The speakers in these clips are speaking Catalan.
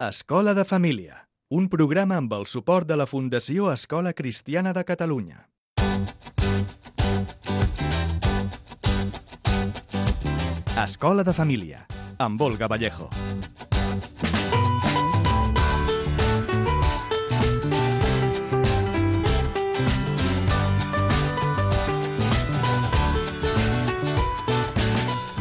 Escola de Família, un programa amb el suport de la Fundació Escola Cristiana de Catalunya. Escola de Família, amb Olga Vallejo.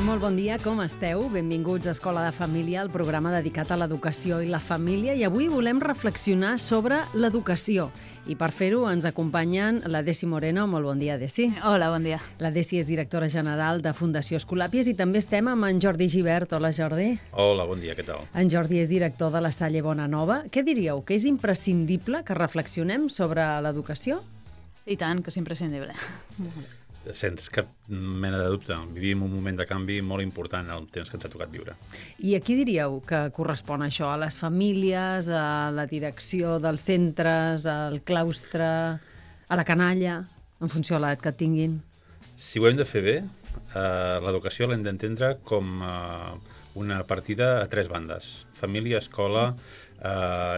Molt bon dia, com esteu? Benvinguts a Escola de Família, el programa dedicat a l'educació i la família. I avui volem reflexionar sobre l'educació. I per fer-ho ens acompanyen la Desi Moreno. Molt bon dia, Desi. Hola, bon dia. La Desi és directora general de Fundació Escolàpies i també estem amb en Jordi Gibert. Hola, Jordi. Hola, bon dia, què tal? En Jordi és director de la Salle Bonanova. Què diríeu, que és imprescindible que reflexionem sobre l'educació? I tant, que és imprescindible. Sense cap mena de dubte. Vivim un moment de canvi molt important en el temps que ens ha tocat viure. I a qui diríeu que correspon això? A les famílies, a la direcció dels centres, al claustre, a la canalla, en funció de l'edat que tinguin? Si ho hem de fer bé, l'educació l'hem d'entendre com una partida a tres bandes. Família, escola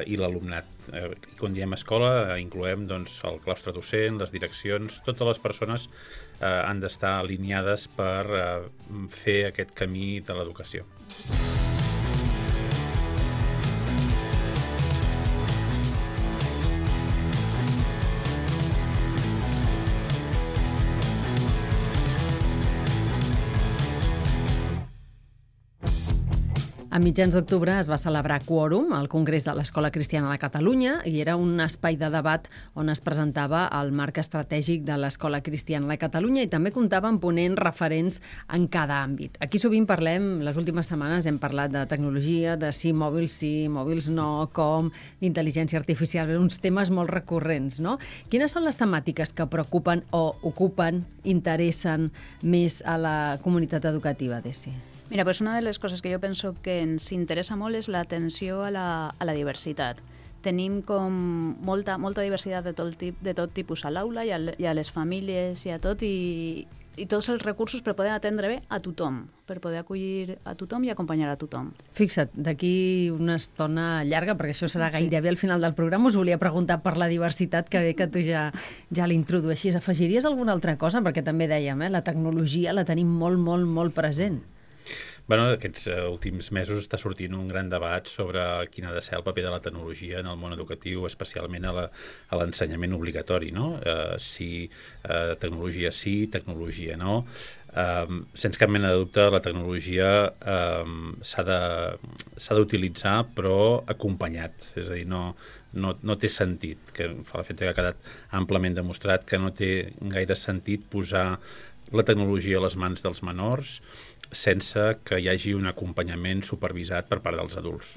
i l'alumnat. I quan diem escola incloem doncs, el claustre docent, les direccions, totes les persones han d'estar alineades per fer aquest camí de l'educació. A mitjans d'octubre es va celebrar Quòrum, al Congrés de l'Escola Cristiana de Catalunya, i era un espai de debat on es presentava el marc estratègic de l'Escola Cristiana de Catalunya i també comptava amb ponents referents en cada àmbit. Aquí sovint parlem, les últimes setmanes hem parlat de tecnologia, de sí, mòbils no, com, d'intel·ligència artificial, uns temes molt recurrents, no? Quines són les temàtiques que preocupen o ocupen, interessen més a la comunitat educativa, Desi? Mira, pues una de les coses que jo penso que ens interessa molt és l'atenció a la diversitat. Tenim com molta diversitat de tot tipus a l'aula i a les famílies i a tot, i tots els recursos per poder atendre bé a tothom, per poder acollir a tothom i acompanyar a tothom. Fixa't, d'aquí una estona llarga, perquè això serà gairebé al final del programa, us volia preguntar per la diversitat, que bé que tu ja l'introdueixis. Afegiries alguna altra cosa? Perquè també dèiem, la tecnologia la tenim molt present. Bueno, aquests últims mesos està sortint un gran debat sobre quin ha de ser el paper de la tecnologia en el món educatiu, especialment a l'ensenyament obligatori, no? Si tecnologia sí, tecnologia no. Sense cap mena de dubte, la tecnologia s'ha d'utilitzar, però acompanyat. És a dir, no té sentit, que fa l'efecte que ha quedat amplament demostrat que no té gaire sentit posar la tecnologia a les mans dels menors sense que hi hagi un acompanyament supervisat per part dels adults.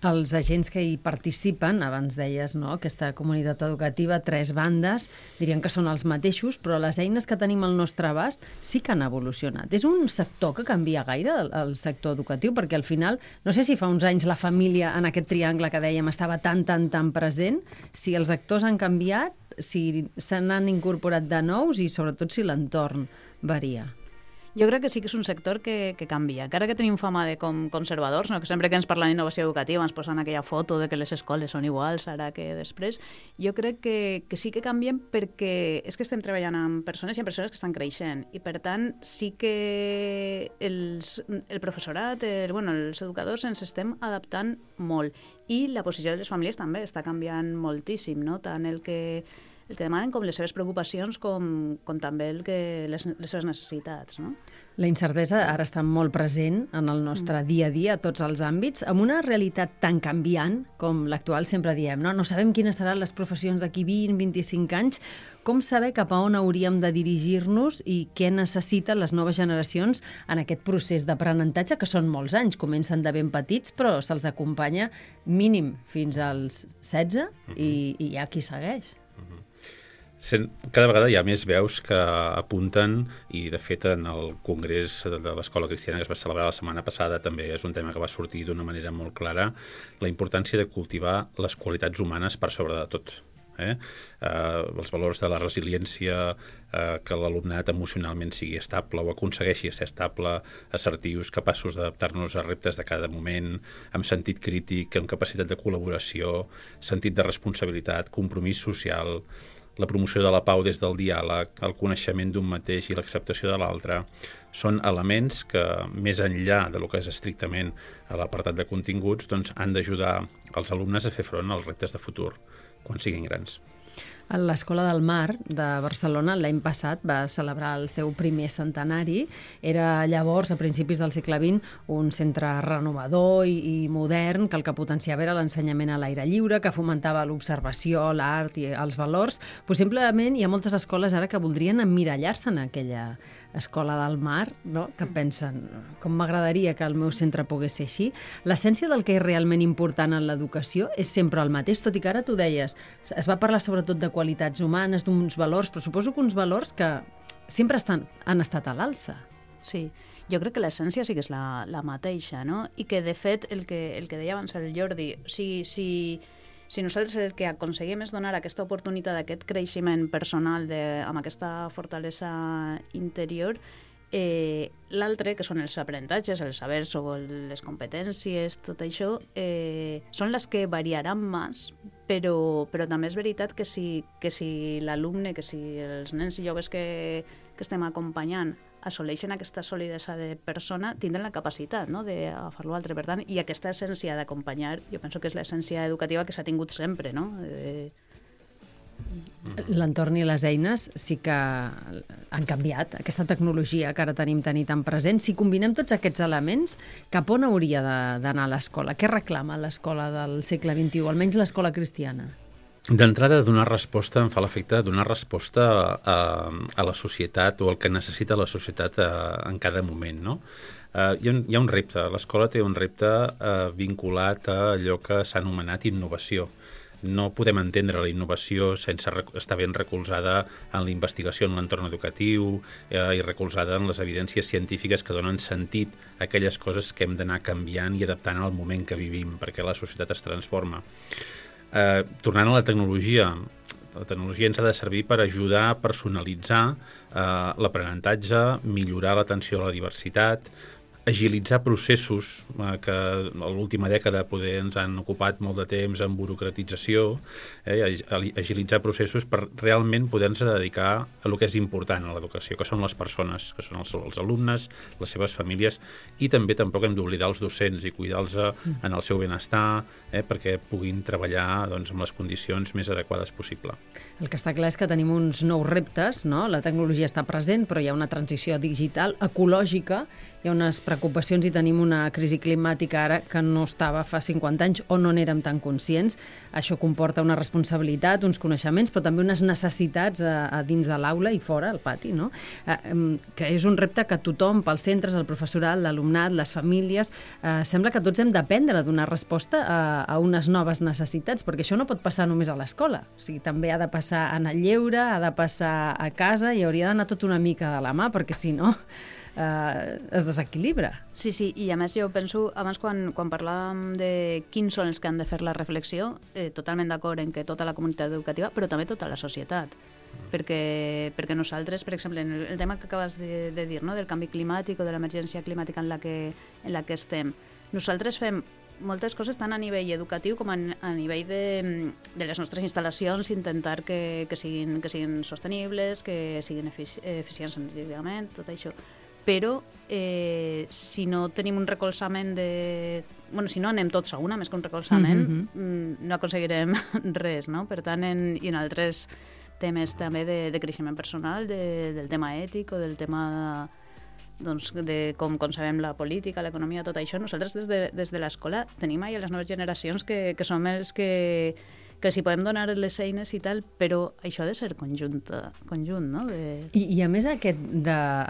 Els agents que hi participen, abans deies, no?, aquesta comunitat educativa, tres bandes, dirien que són els mateixos, però les eines que tenim al nostre abast sí que han evolucionat. És un sector que canvia gaire, el sector educatiu, perquè al final, no sé si fa uns anys la família en aquest triangle que dèiem estava tan present, si els actors han canviat, si se n'han incorporat de nous i sobretot si l'entorn varia. Jo crec que sí que és un sector que canvia. Encara que tenim fama de com conservadors, no? Que sempre que ens parlen d'innovació educativa ens posen aquella foto de que les escoles són iguals ara que després. Jo crec que sí que canvien perquè és que estem treballant amb persones i amb persones que estan creixent. I per tant sí que el professorat, els educadors ens estem adaptant molt. I la posició de les famílies també està canviant moltíssim, no? Tant el que demanen com les seves preocupacions com també les seves necessitats, no? La incertesa ara està molt present en el nostre dia a dia, a tots els àmbits, amb una realitat tan canviant com l'actual, sempre diem, no? No sabem quines seran les professions d'aquí 20-25 anys, com saber cap a on hauríem de dirigir-nos i què necessiten les noves generacions en aquest procés d'aprenentatge, que són molts anys, comencen de ben petits, però se'ls acompanya mínim fins als 16 i hi ha qui segueix. Cada vegada hi ha més veus que apunten, i de fet en el Congrés de l'Escola Cristiana que es va celebrar la setmana passada també és un tema que va sortir d'una manera molt clara, la importància de cultivar les qualitats humanes per sobre de tot. Els valors de la resiliència, que l'alumnat emocionalment sigui estable o aconsegueixi ser estable, assertius, capaços d'adaptar-nos a reptes de cada moment, amb sentit crític, amb capacitat de col·laboració, sentit de responsabilitat, compromís social, la promoció de la pau des del diàleg, el coneixement d'un mateix i l'acceptació de l'altre, són elements que, més enllà de lo que és estrictament a l'apartat de continguts, doncs, han d'ajudar els alumnes a fer front als reptes de futur quan siguin grans. L'Escola del Mar de Barcelona l'any passat va celebrar el seu primer centenari. Era llavors, a principis del segle XX, un centre renovador i modern, que el que potenciava era l'ensenyament a l'aire lliure, que fomentava l'observació, l'art i els valors. Possiblement hi ha moltes escoles ara que voldrien emmirallar-se en aquella Escola del Mar, no? Que pensen, com m'agradaria que el meu centre pogués ser així. L'essència del que és realment important en l'educació és sempre el mateix, tot i que ara tu deies, es va parlar sobretot de qualitats humanes, d'uns valors, però suposo que uns valors que sempre han estat a l'alça. Sí, jo crec que l'essència sí que és la mateixa, no? I que, de fet, el que deia abans el Jordi, si nosaltres el que aconseguim és donar aquesta oportunitat d'aquest creixement personal amb aquesta fortalesa interior, l'altre, que són els aprenentatges, els sabers o les competències, tot això, són les que variaran més, però també és veritat que si l'alumne, que si els nens i joves que estem acompanyant assoleixen aquesta solidesa de persona, tindran la capacitat, no?, d'agafar l'altre. Per tant, i aquesta essència d'acompanyar, jo penso que és l'essència educativa que s'ha tingut sempre, no? L'entorn i les eines sí que han canviat, aquesta tecnologia que ara tenim tan present. Si combinem tots aquests elements, cap on hauria d'anar l'escola? Què reclama l'escola del segle XXI, almenys l'escola cristiana? D'entrada, em fa l'efecte de donar resposta a la societat o al que necessita la societat en cada moment, no? Hi ha un repte, l'escola té un repte vinculat a allò que s'ha anomenat innovació. No podem entendre la innovació sense estar ben recolzada en la investigació en l'entorn educatiu i recolzada en les evidències científiques que donen sentit a aquelles coses que hem d'anar canviant i adaptant al moment que vivim, perquè la societat es transforma. Tornant a la tecnologia ens ha de servir per ajudar a personalitzar l'aprenentatge, millorar l'atenció a la diversitat, agilitzar processos que a l'última dècada poder ens han ocupat molt de temps en burocratització, agilitzar processos per realment poder-nos dedicar a el que és important a l'educació, que són les persones, que són els alumnes, les seves famílies, i també tampoc hem d'oblidar els docents i cuidar-los en el seu benestar, perquè puguin treballar doncs, amb les condicions més adequades possible. El que està clar és que tenim uns nous reptes, no? La tecnologia està present, però hi ha una transició digital, ecològica, hi ha unes preocupacions i tenim una crisi climàtica ara que no estava fa 50 anys o no n'érem tan conscients. Això comporta una responsabilitat, uns coneixements, però també unes necessitats a dins de l'aula i fora, al pati, no? Que és un repte que tothom, pels centres, el professorat, l'alumnat, les famílies, sembla que tots hem d'aprendre a donar resposta a unes noves necessitats, perquè això no pot passar només a l'escola. O sigui, també ha de passar en el lleure, ha de passar a casa i hauria d'anar tot una mica de la mà, perquè si no es desequilibra. Sí, i a més jo penso, abans quan parlàvem de quins són els que han de fer la reflexió, totalment d'acord en que tota la comunitat educativa, però també tota la societat. Perquè nosaltres, per exemple, en el tema que acabes de dir, no?, del canvi climàtic o de l'emergència climàtica en la que estem, nosaltres fem moltes coses tant a nivell educatiu com a nivell de les nostres instal·lacions, intentar que siguin sostenibles, que siguin eficients energèticament, tot això. Però si no tenim un recolzament si no anem tots a una, més que un recolzament, no aconseguirem res, no? Per tant, i en altres temes també de creixement personal, del tema ètic o del tema de com concebem la política, l'economia, tot això, nosaltres des de l'escola tenim ahir les noves generacions que som els que si podem donar les eines i tal, però això ha de ser conjunt, no? I a més, a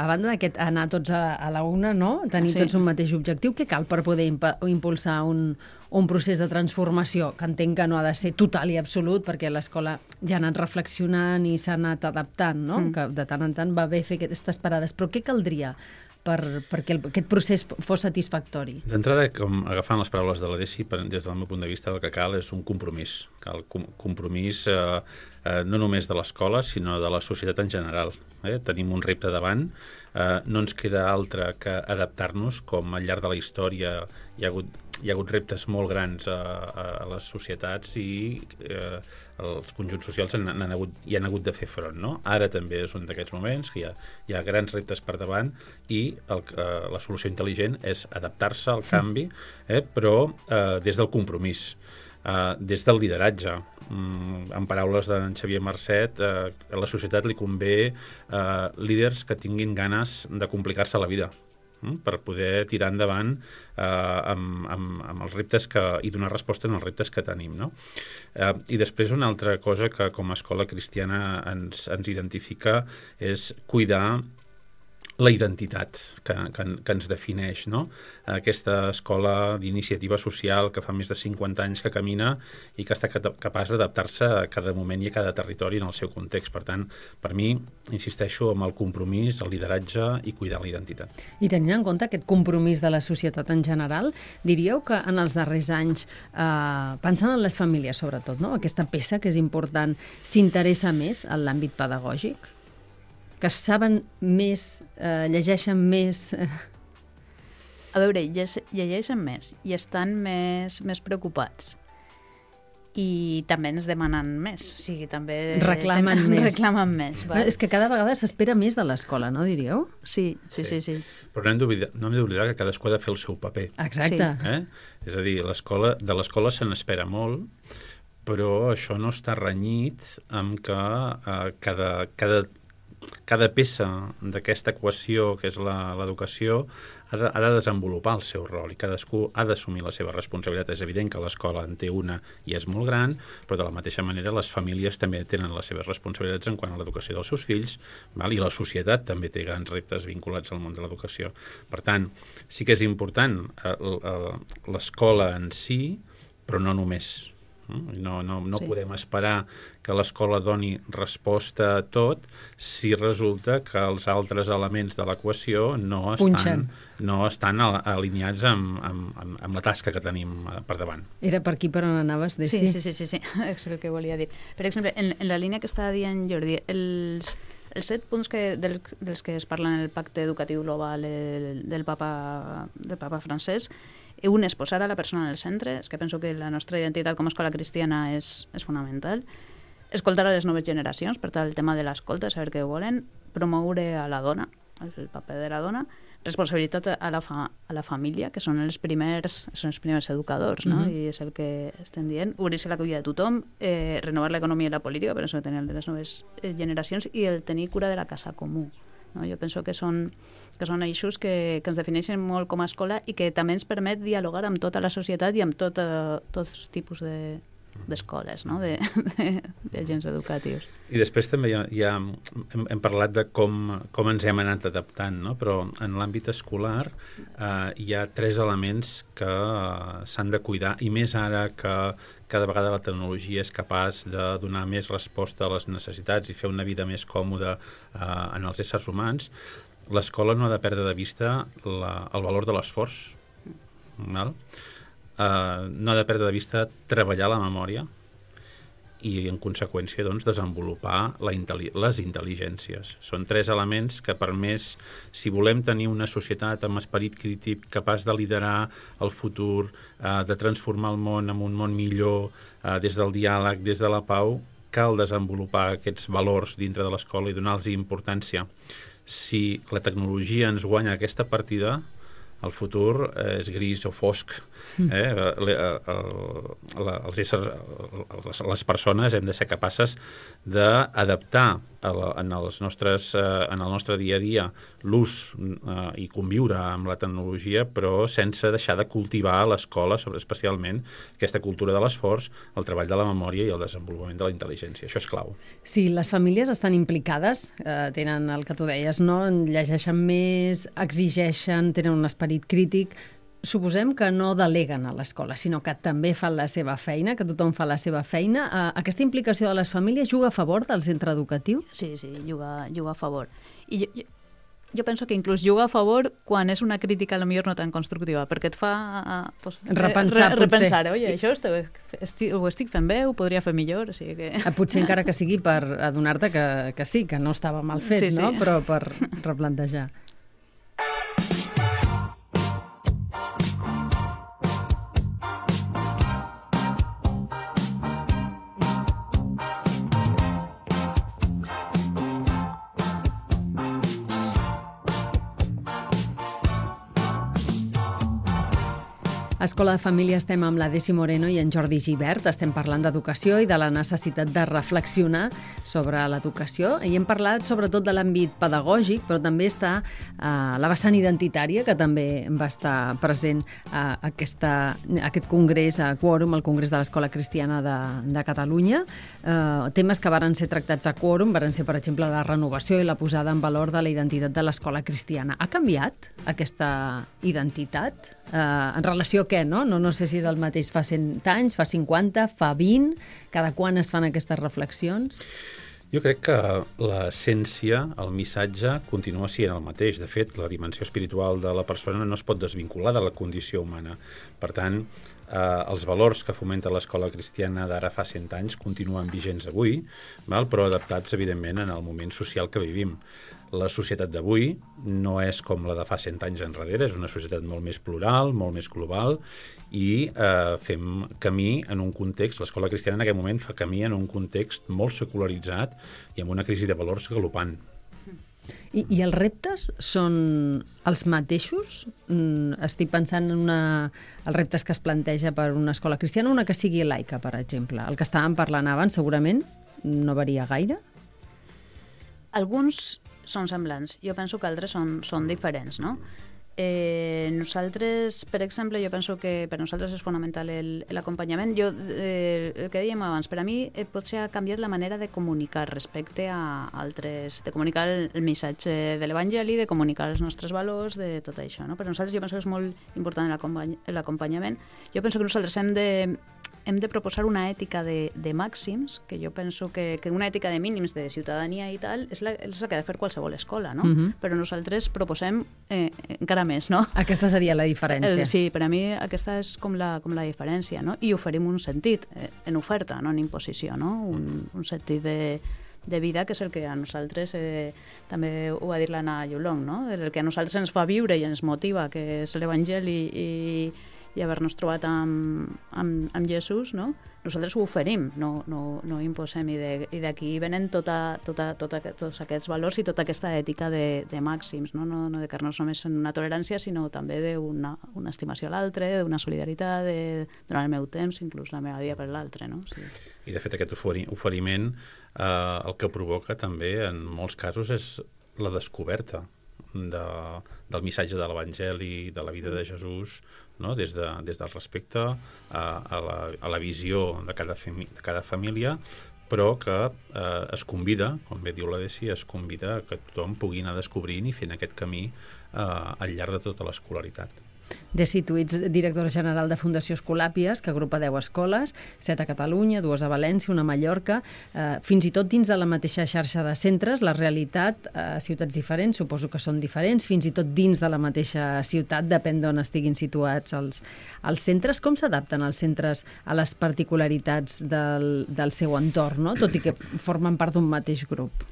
banda d'aquest anar tots a la una, no?, tenir tots un mateix objectiu, què cal per poder impulsar un procés de transformació, que entenc que no ha de ser total i absolut, perquè l'escola ja ha anat reflexionant i s'ha anat adaptant, no? Que de tant en tant va bé fer aquestes parades. Però què caldria perquè aquest procés fos satisfactori? D'entrada, com agafant les paraules de la Desi, des del meu punt de vista el que cal és un compromís. Cal compromís no només de l'escola, sinó de la societat en general. Tenim un repte davant, no ens queda altre que adaptar-nos, com al llarg de la història hi ha hagut reptes molt grans a les societats i els conjunts socials hi han hagut de fer front. No? Ara també és un d'aquests moments que hi ha grans reptes per davant i la solució intel·ligent és adaptar-se al canvi, però des del compromís, des del lideratge. En paraules d'en Xavier Marcet, a la societat li convé líders que tinguin ganes de complicar-se la vida per poder tirar endavant amb els reptes i donar resposta en els reptes que tenim. No? I després una altra cosa que com a escola cristiana ens identifica és cuidar la identitat que ens defineix, no? Aquesta escola d'iniciativa social que fa més de 50 anys que camina i que està capaç d'adaptar-se a cada moment i a cada territori en el seu context. Per tant, per mi, insisteixo en el compromís, el lideratge i cuidar la identitat. I tenint en compte aquest compromís de la societat en general, diríeu que en els darrers anys, pensant en les famílies sobretot, no? Aquesta peça que és important, s'interessa més en l'àmbit pedagògic? Que saben més, llegeixen més... A veure, llegeixen més i estan més preocupats. I també ens demanen més. O sigui, també... Reclamen més. Val? És que cada vegada s'espera més de l'escola, no, diríeu? Sí. Però no hem d'oblidar que cadascú ha de fer el seu paper. Exacte. És a dir, de l'escola se n'espera molt, però això no està renyit amb que cada peça d'aquesta equació, que és l'educació, ha de desenvolupar el seu rol i cadascú ha d'assumir la seva responsabilitat. És evident que l'escola en té una i és molt gran, però de la mateixa manera les famílies també tenen les seves responsabilitats en quant a l'educació dels seus fills, i la societat també té grans reptes vinculats al món de l'educació. Per tant, sí que és important l'escola en si, però no només. No podem esperar que l'escola doni resposta a tot si resulta que els altres elements de l'equació no estan alineats amb la tasca que tenim per davant. Era per aquí per on anaves, Desi? Sí, és el que volia dir. Per exemple, en la línia que estava dient Jordi, els 7 punts dels que es parla en el pacte educatiu global del papa francès, un és posar a la persona en el centre, és que penso que la nostra identitat com a escola cristiana és fonamental. Escoltar a les noves generacions, per tant, el tema de l'escolta, saber què volen, promoure a la dona, el paper de la dona, responsabilitat a la família, que són els primers educadors, no? I és el que estem dient, obrir-se l'acollida de tothom, renovar l'economia i la política, per això tenir les noves generacions, i el tenir cura de la casa comú. No? Jo penso que són eixos que ens defineixen molt com a escola i que també ens permet dialogar amb tota la societat i amb tots tipus d'escoles, no? d'agents educatius. I després també hem parlat de com ens hem anat adaptant, no? Però en l'àmbit escolar hi ha 3 elements que s'han de cuidar, i més ara que cada vegada la tecnologia és capaç de donar més resposta a les necessitats i fer una vida més còmoda en els éssers humans. L'escola no ha de perdre de vista el valor de l'esforç, no ha de perdre de vista treballar la memòria i, en conseqüència, doncs, desenvolupar les intel·ligències. Són 3 elements que, per més, si volem tenir una societat amb esperit crític, capaç de liderar el futur, de transformar el món en un món millor, des del diàleg, des de la pau, cal desenvolupar aquests valors dintre de l'escola i donar-los importància. Si la tecnologia ens guanya aquesta partida, el futur és gris o fosc. Les persones hem de ser capaces d'adaptar en el nostre dia a dia l'ús i conviure amb la tecnologia, però sense deixar de cultivar a l'escola, especialment aquesta cultura de l'esforç, el treball de la memòria i el desenvolupament de la intel·ligència. Això és clau. Sí, les famílies estan implicades, tenen el que tu deies, no? Llegeixen més, exigeixen, tenen un esperit crític. Suposem que no deleguen a l'escola, sinó que també fan la seva feina, que tothom fa la seva feina. Aquesta implicació de les famílies juga a favor del centre educatiu? Sí, juga a favor. I jo penso que inclús juga a favor quan és una crítica potser no tan constructiva, perquè et fa repensar, oi, això ho estic fent bé, ho podria fer millor, o sigui que... Potser encara que sigui per adonar-te que sí, que no estava mal fet, sí. No? Però per replantejar. Escola de Família estem amb la Desi Moreno i en Jordi Gibert. Estem parlant d'educació i de la necessitat de reflexionar sobre l'educació. I hem parlat sobretot de l'àmbit pedagògic, però també està la vessant identitària, que també va estar present a aquest congrés, a Quòrum, el Congrés de l'Escola Cristiana de Catalunya. Temes que varen ser tractats a Quòrum varen ser, per exemple, la renovació i la posada en valor de la identitat de l'escola cristiana. Ha canviat aquesta identitat? En relació a què, no? No sé si és el mateix fa 100 anys, fa 50, fa 20, cada quan es fan aquestes reflexions? Jo crec que l'essència, el missatge, continua sent el mateix. De fet, la dimensió espiritual de la persona no es pot desvincular de la condició humana. Per tant, els valors que fomenta l'escola cristiana d'ara fa 100 anys continuen vigents avui, però adaptats, evidentment, en el moment social que vivim. La societat d'avui no és com la de fa 100 anys enrere, és una societat molt més plural, molt més global, i fem camí en un context, l'escola cristiana en aquest moment fa camí en un context molt secularitzat i amb una crisi de valors galopant. I els reptes són els mateixos? Estic pensant en els reptes que es planteja per una escola cristiana, una que sigui laica, per exemple. El que estàvem parlant abans segurament no varia gaire? Alguns són semblants. Jo penso que altres són diferents, no? Nosaltres, per exemple, jo penso que per nosaltres és fonamental l'acompanyament. El que dèiem abans, per a mi potser ha canviat la manera de comunicar respecte a altres, de comunicar el missatge de l'Evangeli, de comunicar els nostres valors, de tot això, no? Per nosaltres jo penso que és molt important l'acompanyament. Jo penso que nosaltres hem de proposar una ètica de màxims, que jo penso que una ètica de mínims de ciutadania i tal és la que ha de fer qualsevol escola, no? Però nosaltres proposem encara més, no? Aquesta seria la diferència. Sí, per a mi aquesta és com la diferència, no? I oferim un sentit en oferta, no en imposició, no? Un sentit de vida, que és el que a nosaltres, també ho va dir l'Anna Llolong, no? El que a nosaltres ens fa viure i ens motiva, que és l'Evangeli i haver-nos trobat amb Jesús, no? Nosaltres ho oferim, no imposem, i d'aquí venen tots aquests valors i tota aquesta ètica de màxims, no de quedar-nos només en una tolerància, sinó també d'una estimació a l'altre, d'una solidaritat, de donar el meu temps, inclús la meva vida per l'altre, no? Sí. I de fet aquest oferiment el que provoca també en molts casos és la descoberta del missatge de l'Evangeli, de la vida de Jesús, no? Des del respecte a la visió de cada família, però que es convida, com bé diu la Desi, es convida que tothom pugui anar descobrint i fent aquest camí al llarg de tota l'escolaritat. Desi, tu ets directora general de Fundació Escolàpies, que agrupa 10 escoles, 7 a Catalunya, 2 a València, una a Mallorca. Fins i tot dins de la mateixa xarxa de centres, la realitat a ciutats diferents, suposo que són diferents, fins i tot dins de la mateixa ciutat, depèn d'on estiguin situats els centres. Com s'adapten els centres a les particularitats del seu entorn, no? Tot i que formen part d'un mateix grup?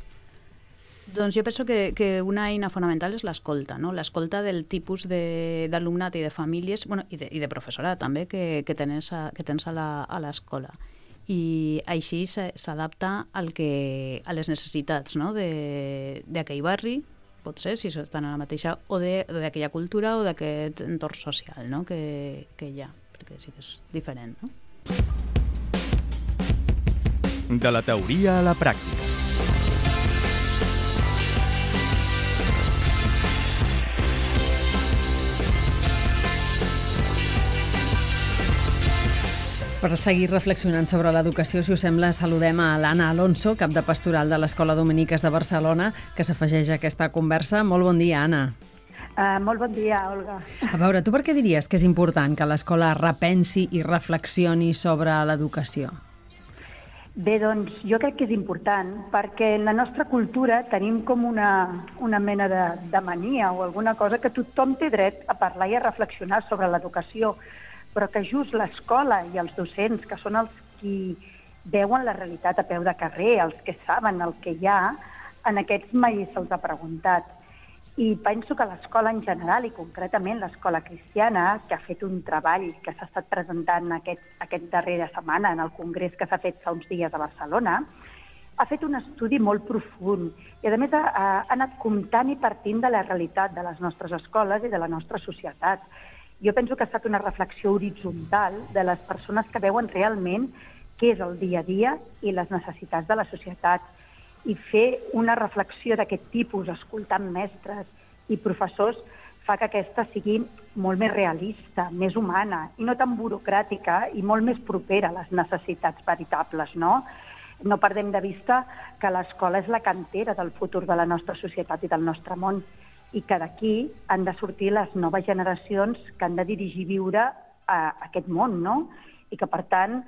Doncs jo penso que una eina fonamental és l'escolta, no? L'escolta del tipus d'alumnat i de famílies, i de professorat també, que tens a l'escola. I així s'adapta a les necessitats, no? d'aquell barri, potser, si estan a la mateixa, o d'aquella cultura o d'aquest entorn social, no? que hi ha, perquè sí que és diferent, no? De la teoria a la pràctica. Per seguir reflexionant sobre l'educació, si us sembla, saludem a l'Anna Alonso, cap de pastoral de l'Escola Dominiques de Barcelona, que s'afegeix a aquesta conversa. Molt bon dia, Anna. Molt bon dia, Olga. A veure, tu per què diries que és important que l'escola repensi i reflexioni sobre l'educació? Bé, doncs jo crec que és important perquè en la nostra cultura tenim com una mena de mania o alguna cosa que tothom té dret a parlar i a reflexionar sobre l'educació, però que just l'escola i els docents, que són els qui veuen la realitat a peu de carrer, els que saben el que hi ha, en aquests mai se'ls ha preguntat. I penso que l'escola en general, i concretament l'escola cristiana, que ha fet un treball que s'ha estat presentant aquest darrera setmana en el congrés que s'ha fet fa uns dies a Barcelona, ha fet un estudi molt profund i, a més, ha anat comptant i partint de la realitat de les nostres escoles i de la nostra societat. Jo penso que ha estat una reflexió horitzontal de les persones que veuen realment què és el dia a dia i les necessitats de la societat. I fer una reflexió d'aquest tipus, escoltant mestres i professors, fa que aquesta sigui molt més realista, més humana, i no tan burocràtica i molt més propera a les necessitats veritables, no? No perdem de vista que l'escola és la cantera del futur de la nostra societat i del nostre món, i que d'aquí han de sortir les noves generacions que han de dirigir viure aquest món, no? I que, per tant,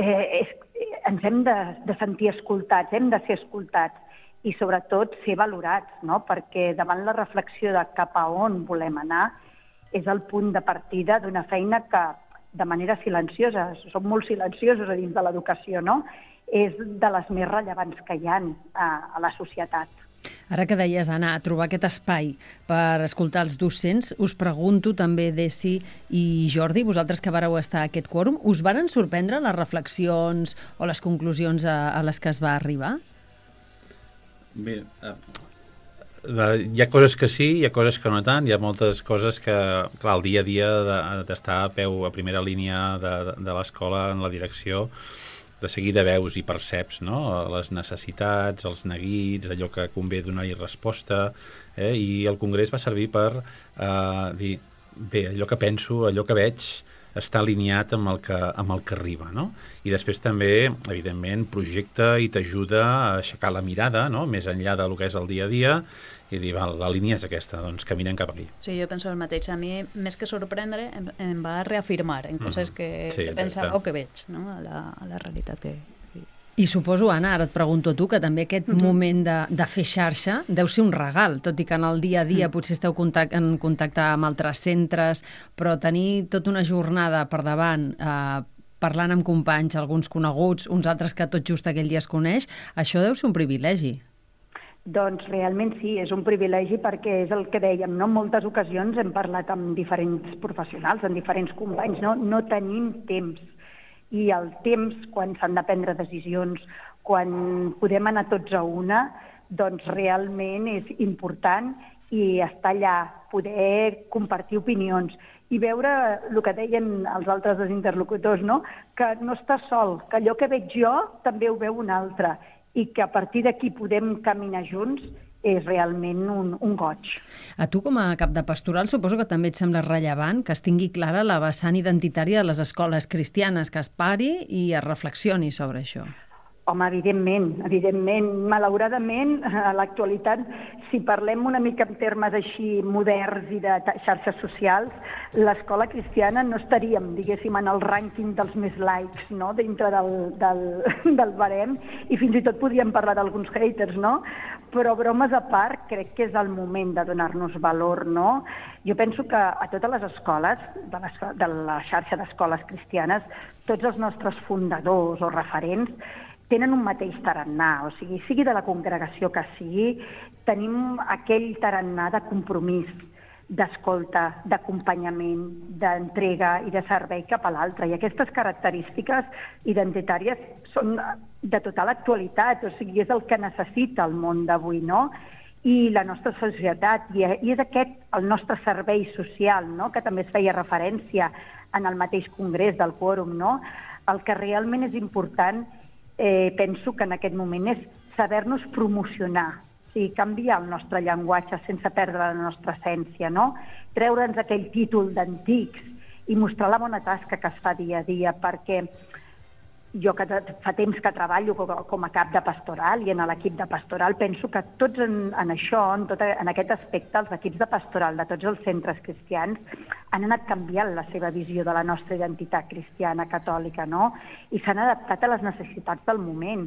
ens hem de sentir escoltats, hem de ser escoltats i, sobretot, ser valorats, no? Perquè davant la reflexió de cap a on volem anar és el punt de partida d'una feina que, de manera silenciosa, som molt silenciosos a dins de l'educació, no? És de les més rellevants que hi ha a la societat. Ara que deies, Anna, trobar aquest espai per escoltar els docents, us pregunto també, Desi i Jordi, vosaltres que vareu estar a aquest quòrum, us varen sorprendre les reflexions o les conclusions a les que es va arribar? Bé, hi ha coses que sí, hi ha coses que no tant, hi ha moltes coses que, clar, el dia a dia d'estar a primera línia de l'escola en la direcció, de seguida veus i perceps, no? Les necessitats, els neguits, allò que convé donar-hi resposta, i el Congrés va servir per dir, bé, allò que penso, allò que veig, està alineat amb el que arriba, no? I després també, evidentment, projecta i t'ajuda a aixecar la mirada, no? Més enllà del que és el dia a dia, i dir, val, la línia és aquesta, doncs caminem cap aquí. Sí, jo penso el mateix. A mi, més que sorprendre, em va reafirmar en coses que pensava o que veig, no? a la realitat que... I suposo, Anna, ara et pregunto a tu, que també aquest moment de fer xarxa deu ser un regal, tot i que en el dia a dia potser esteu en contacte amb altres centres, però tenir tota una jornada per davant, parlant amb companys, alguns coneguts, uns altres que tot just aquell dia es coneix, això deu ser un privilegi. Doncs realment sí, és un privilegi perquè és el que dèiem, no? En moltes ocasions hem parlat amb diferents professionals, amb diferents companys, no tenim temps. I el temps, quan s'han de prendre decisions, quan podem anar tots a una, doncs realment és important i estar allà, poder compartir opinions i veure el que deien els altres dos interlocutors, no? Que no estàs sol, que allò que veig jo també ho veu un altre i que a partir d'aquí podem caminar junts és realment un goig. A tu, com a cap de pastoral, suposo que també et sembla rellevant que es tingui clara la vessant identitària de les escoles cristianes, que es pari i es reflexioni sobre això. Home, evidentment. Malauradament, a l'actualitat, si parlem una mica en termes així moderns i de xarxes socials, l'escola cristiana no estaríem, diguéssim, en el rànquing dels més laics, no?, dintre del barem, i fins i tot podríem parlar d'alguns haters, no? Però bromes a part, crec que és el moment de donar-nos valor, no? Jo penso que a totes les escoles, de la xarxa d'escoles cristianes, tots els nostres fundadors o referents tenen un mateix tarannà, o sigui de la congregació que sigui, tenim aquell tarannà de compromís, d'escolta, d'acompanyament, d'entrega i de servei cap a l'altre. I aquestes característiques identitàries són de total actualitat, o sigui, és el que necessita el món d'avui, no? I la nostra societat, i és aquest el nostre servei social, no?, que també es feia referència en el mateix congrés del quòrum, no? El que realment és important, penso que en aquest moment és saber-nos promocionar, o sigui, canviar el nostre llenguatge sense perdre la nostra essència, no? Treure'ns aquell títol d'antics i mostrar la bona tasca que es fa dia a dia, perquè jo que fa temps que treballo com a cap de pastoral i en l'equip de pastoral, penso que tots en això, en aquest aspecte, els equips de pastoral de tots els centres cristians han anat canviant la seva visió de la nostra identitat cristiana catòlica, no? I s'han adaptat a les necessitats del moment.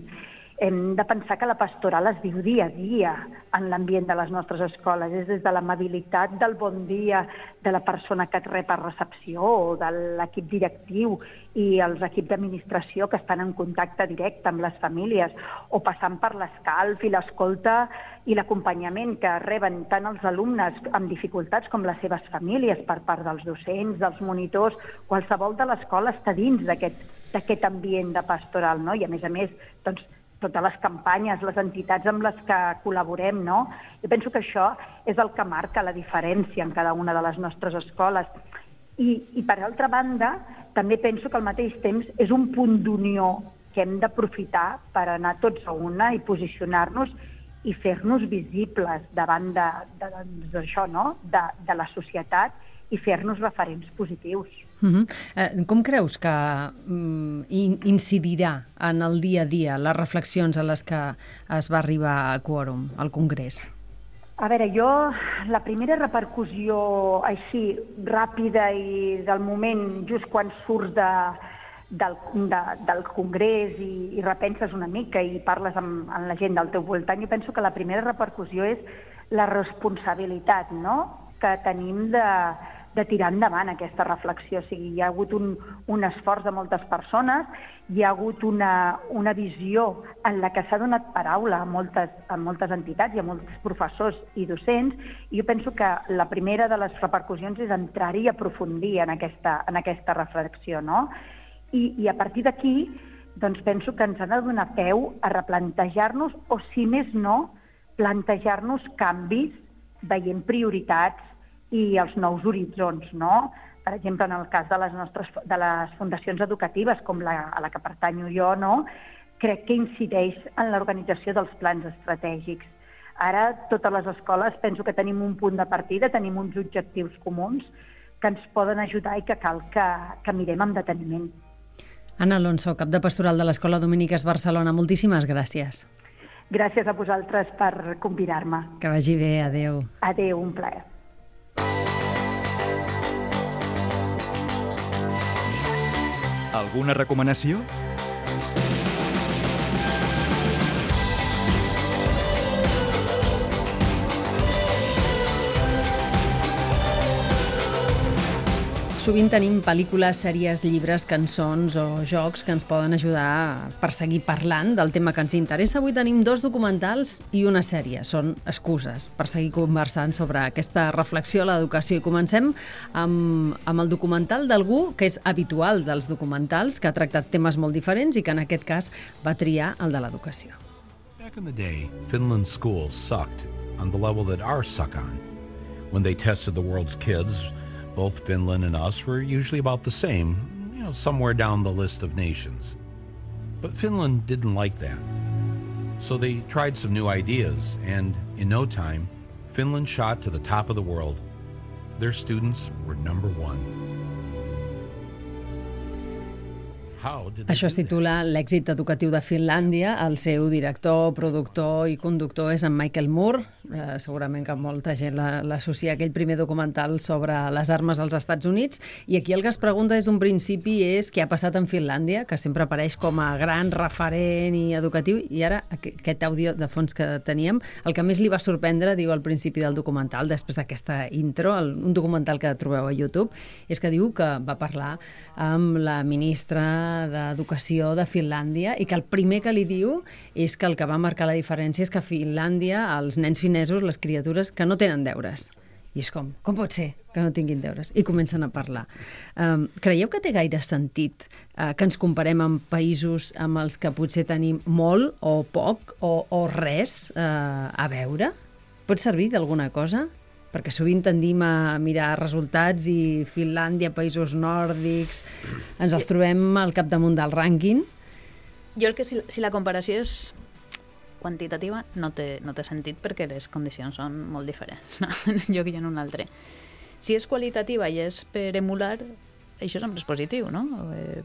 Hem de pensar que la pastoral es viu dia a dia en l'ambient de les nostres escoles. És des de l'amabilitat del bon dia de la persona que et rep a recepció o de l'equip directiu i els equips d'administració que estan en contacte directe amb les famílies, o passant per l'escalf i l'escolta i l'acompanyament que reben tant els alumnes amb dificultats com les seves famílies per part dels docents, dels monitors. Qualsevol de l'escola està dins d'aquest ambient de pastoral, no? I a més, doncs, totes les campanyes, les entitats amb les que col·laborem, no? Jo penso que això és el que marca la diferència en cada una de les nostres escoles. I per altra banda, també penso que al mateix temps és un punt d'unió que hem d'aprofitar per anar tots a una i posicionar-nos i fer-nos visibles davant d'això, no? De la societat, i fer-nos referents positius. Com creus que incidirà en el dia a dia les reflexions a les que es va arribar a Quòrum, al Congrés? A veure, la primera repercussió així ràpida i del moment, just quan surts del Congrés i repenses una mica i parles amb la gent del teu voltant, jo penso que la primera repercussió és la responsabilitat, no?, que tenim de tirar endavant aquesta reflexió. O sigui, hi ha hagut un esforç de moltes persones, hi ha hagut una visió en la que s'ha donat paraula a moltes entitats i a molts professors i docents, i jo penso que la primera de les repercussions és entrar-hi i aprofundir en aquesta reflexió, no? I a partir d'aquí, doncs penso que ens ha de donar peu a replantejar-nos, o si més no, plantejar-nos canvis veient prioritats i els nous horitzons, no? Per exemple, en el cas de les fundacions educatives, com a la que pertanyo jo, no? Crec que incideix en l'organització dels plans estratègics. Ara, totes les escoles, penso que tenim un punt de partida, tenim uns objectius comuns que ens poden ajudar i que cal que mirem amb deteniment. Anna Alonso, cap de pastoral de l'Escola Dominiques Barcelona, moltíssimes gràcies. Gràcies a vosaltres per convidar-me. Que vagi bé, adeu. Adeu, un plaer. Alguna recomanació? Sovint tenim pel·lícules, sèries, llibres, cançons o jocs que ens poden ajudar per seguir parlant del tema que ens interessa. Avui tenim 2 documentals i una sèrie. Són excuses per seguir conversant sobre aquesta reflexió a l'educació. I comencem amb el documental d'algú que és habitual dels documentals, que ha tractat temes molt diferents i que en aquest cas va triar el de l'educació. Back in the day, Finland's schools sucked on the level that ours suck on. When they tested the world's kids, both Finland and us were usually about the same, somewhere down the list of nations. But Finland didn't like that. So they tried some new ideas, and in no time, Finland shot to the top of the world. Their students were number 1. Això es titula L'èxit educatiu de Finlàndia. El seu director, productor i conductor és en Michael Moore. Segurament que molta gent l'associa a aquell primer documental sobre les armes als Estats Units. I aquí el que es pregunta des d'un principi és què ha passat en Finlàndia, que sempre apareix com a gran referent i educatiu. I ara, aquest àudio de fons que teníem, el que més li va sorprendre, diu al principi del documental, després d'aquesta intro, un documental que trobeu a YouTube, és que diu que va parlar amb la ministra d'Educació de Finlàndia i que el primer que li diu és que el que va marcar la diferència és que a Finlàndia els nens finesos, les criatures, que no tenen deures. I és com pot ser que no tinguin deures? I comencen a parlar. Creieu que té gaire sentit que ens comparem amb països amb els que potser tenim molt o poc o res a veure? Pot servir d'alguna cosa? Perquè sovint tendim a mirar resultats i Finlàndia, països nòrdics, ens els trobem al capdamunt del rànquing. Jo el que si la comparació és quantitativa no té sentit perquè les condicions són molt diferents, no? En un lloc i en un altre. Si és qualitativa i és per emular, això sempre és positiu, no?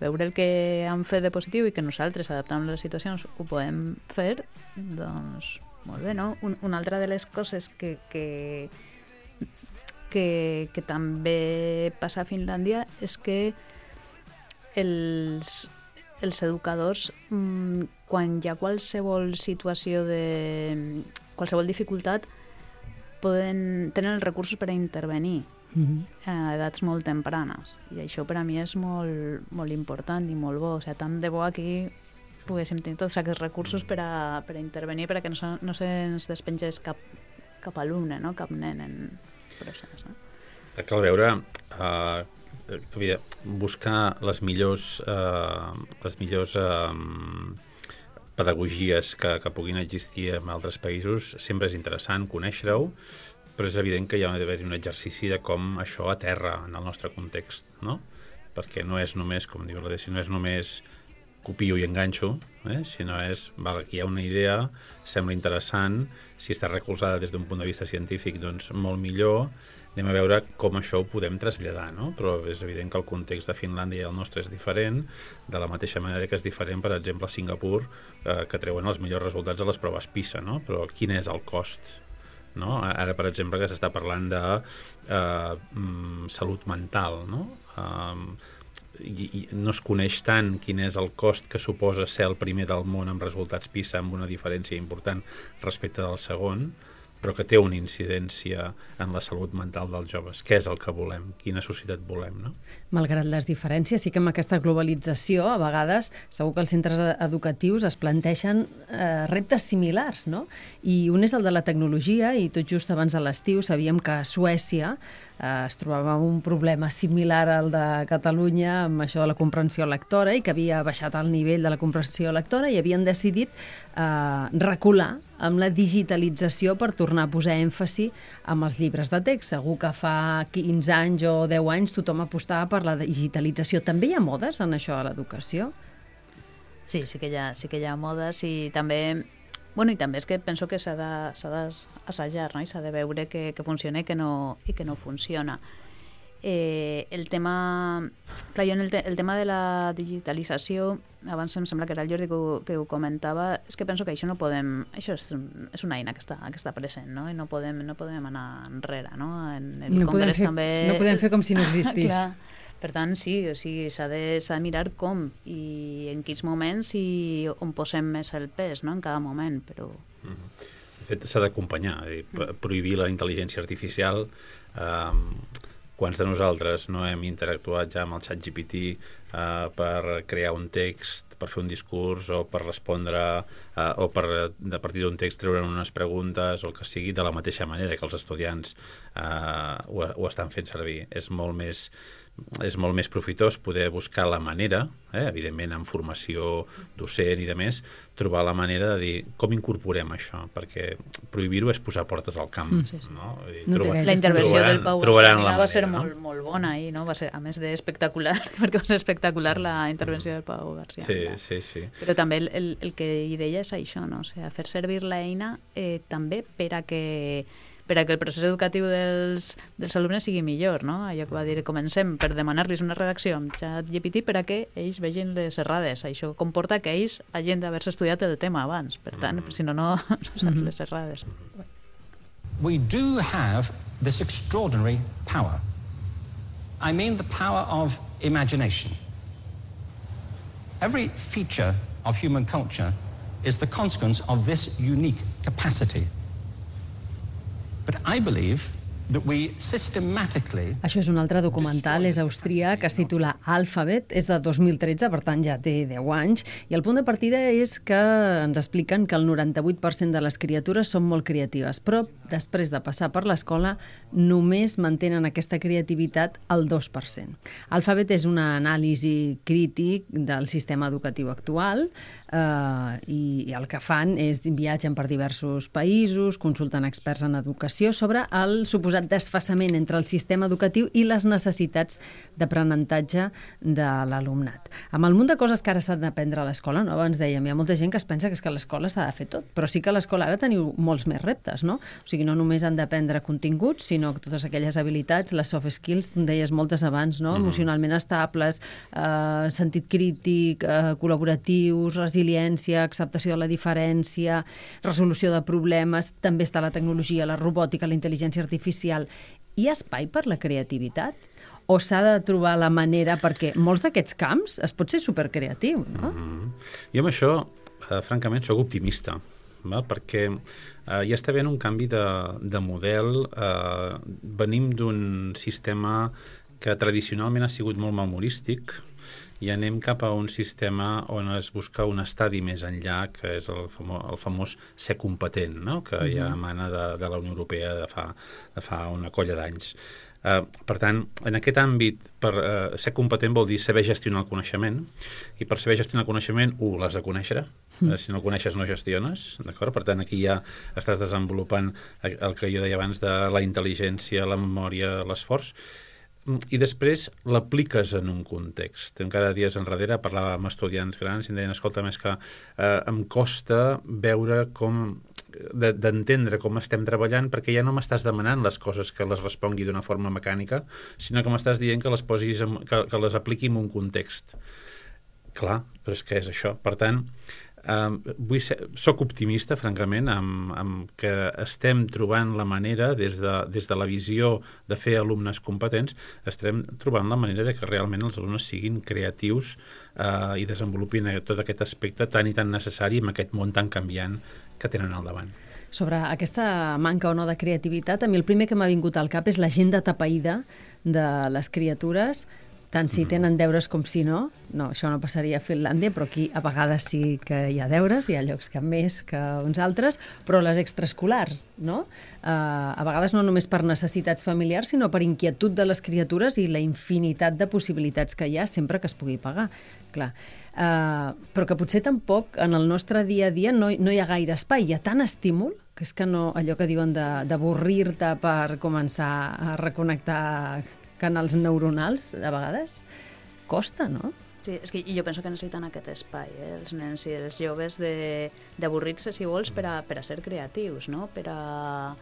Veure el que han fet de positiu i que nosaltres, adaptant les situacions, ho podem fer, doncs molt bé, no? Una altra de les coses que que també passa a Finlàndia és que els educadors, quan hi ha qualsevol situació de qualsevol dificultat, tenen els recursos per a intervenir a edats molt tempranes. I això per a mi és molt, molt important i molt bo. O sigui, tant de bo aquí poguéssim tenir tots aquests recursos per a intervenir, perquè no se'ns despengés cap alumne, no? Cap nen en procés. No? Cal veure, buscar les millors pedagogies que puguin existir en altres països sempre és interessant conèixer-ho, però és evident que hi ha d'haver un exercici de com això aterra en el nostre context, no? Perquè no és només, com diu la Desi, no és només copio i enganxo, sinó és, aquí hi ha una idea, sembla interessant, si està recolzada des d'un punt de vista científic, doncs molt millor, anem a veure com això ho podem traslladar, no? Però és evident que el context de Finlàndia i el nostre és diferent, de la mateixa manera que és diferent, per exemple, a Singapur, que treuen els millors resultats a les proves PISA, no? Però quin és el cost? No? Ara, per exemple, que s'està parlant de salut mental, no? I no es coneix tant quin és el cost que suposa ser el primer del món amb resultats PISA amb una diferència important respecte del segon, però que té una incidència en la salut mental dels joves. Què és el que volem? Quina societat volem, no? Malgrat les diferències, sí que amb aquesta globalització, a vegades, segur que els centres educatius es planteixen reptes similars, no? I un és el de la tecnologia, i tot just abans de l'estiu sabíem que a Suècia es trobava un problema similar al de Catalunya amb això de la comprensió lectora, i que havia baixat el nivell de la comprensió lectora i havien decidit recular amb la digitalització per tornar a posar èmfasi amb els llibres de text. Segur que fa 15 anys o 10 anys tothom apostava per la digitalització. També hi ha modes en això de l'educació? Sí que hi ha modes, i també... Bueno, i també és que penso que s'ha d'assajar, no? I s'ha de veure que funciona i que no funciona. El tema... Clar, jo el tema de la digitalització, abans em sembla que era el Jordi que ho comentava, és que penso que això no podem... Això és una eina que està present, no? I no podem anar enrere, no? En el Congrés també... No podem fer com si no existís. Clar. Per tant, sí, o sigui, s'ha de mirar com i en quins moments i on posem més el pes, no? En cada moment, però... De fet, s'ha d'acompanyar. Prohibir la intel·ligència artificial... Quants de nosaltres no hem interactuat ja amb el ChatGPT per crear un text, per fer un discurs o per respondre o a partir d'un text treure unes preguntes o el que sigui, de la mateixa manera que els estudiants ho estan fent servir. És molt més profitós poder buscar la manera, evidentment amb formació docent i de més, trobar la manera de dir com incorporem això, perquè prohibir-ho és posar portes al camp. No? La intervenció del Pau va ser molt bona i no? Va ser, a més d'espectacular, perquè va ser espectacular la intervenció del Pau García. Sí. Però també el que hi deia és això, no? O sigui, fer servir l'eina també per a que el procés educatiu dels alumnes sigui millor, no? Allò que va dir, comencem per demanar-los una redacció amb ChatGPT per a que ells vegin les errades. Això comporta que ells hagin d'haver-se estudiat el tema abans. Per tant, si no saps les errades. We do have this extraordinary power. I mean the power of imagination. Every feature of human culture is the consequence of this unique capacity. But I believe that we systematically... Això és un altre documental, és austríac, es titula Alphabet, és de 2013, per tant ja té 10 anys, i el punt de partida és que ens expliquen que el 98% de les criatures són molt creatives, però després de passar per l'escola només mantenen aquesta creativitat al 2%. Alphabet és una anàlisi crític del sistema educatiu actual, i el que fan és viatgen per diversos països, consulten experts en educació sobre el suposat desfasament entre el sistema educatiu i les necessitats d'aprenentatge de l'alumnat. Amb el munt de coses que ara s'han d'aprendre a l'escola, no? Abans dèiem, hi ha molta gent que es pensa que és que a l'escola s'ha de fer tot, però sí que a l'escola ara teniu molts més reptes, no? O sigui, no només han d'aprendre continguts, sinó que totes aquelles habilitats, les soft skills, tu en deies moltes abans, no? Emocionalment estables, sentit crític, col·laboratius, resiliència, acceptació de la diferència, resolució de problemes, també està la tecnologia, la robòtica, la intel·ligència artificial. hi ha espai per la creativitat? O s'ha de trobar la manera, perquè molts d'aquests camps es pot ser supercreatiu, no? Jo amb això, francament, sóc optimista, val? Perquè hi està havent un canvi de model. Venim d'un sistema que tradicionalment ha sigut molt memorístic i anem cap a un sistema on es busca un estadi més enllà, que és el famós ser competent, no? Que ja emana de la Unió Europea de fa una colla d'anys. Per tant, en aquest àmbit, per ser competent vol dir saber gestionar el coneixement, i per saber gestionar el coneixement, l'has de conèixer. Si no el coneixes, no gestiones, d'acord? Per tant, aquí ja estàs desenvolupant el que jo deia abans de la intel·ligència, la memòria, l'esforç, i després l'apliques en un context. Encara dies enrere parlava amb estudiants grans i em deien, escolta, més que em costa veure com d'entendre com estem treballant, perquè ja no m'estàs demanant les coses que les respongui d'una forma mecànica, sinó que m'estàs dient que les posis, que les apliqui en un context. Clar, però és que és això. Per tant, soc optimista, francament, amb que estem trobant la manera, des de la visió de fer alumnes competents, estem trobant la manera de que realment els alumnes siguin creatius i desenvolupin tot aquest aspecte tan i tan necessari en aquest món tan canviant que tenen al davant. Sobre aquesta manca o no de creativitat, a mi el primer que m'ha vingut al cap és l'agenda tapaïda de les criatures, tant si tenen deures com si no. No, això no passaria a Finlàndia, però aquí a vegades sí que hi ha deures, hi ha llocs que més que uns altres, però les extraescolars, no? A vegades no només per necessitats familiars, sinó per inquietud de les criatures i la infinitat de possibilitats que hi ha sempre que es pugui pagar. Clar. Però que potser tampoc en el nostre dia a dia no hi ha gaire espai, hi ha tant estímul que és que no, allò que diuen d'avorrir-te per començar a reconnectar canals neuronals, a vegades costa, no? Sí, és que jo penso que necessiten aquest espai, els nens i els joves d'avorrir-se, si vols, per a ser creatius, no? Per a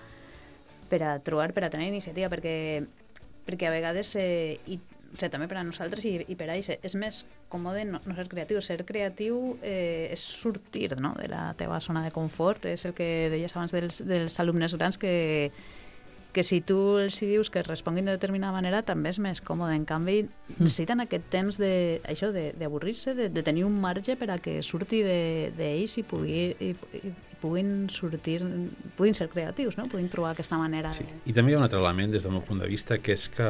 trobar, per a tenir iniciativa, perquè a vegades, també per a nosaltres i per a ells, és més còmode no ser creatiu. Ser creatiu és sortir, no?, de la teva zona de confort, és el que deies abans dels alumnes grans, que si tu els dius que responguin de determinada manera també és més còmode. En canvi, necessiten aquest temps d'avorrir-se, de tenir un marge per a que surti d'ells i puguin ser creatius, no? Puguin trobar aquesta manera. Sí. I també hi ha un altre element des del meu punt de vista, que és que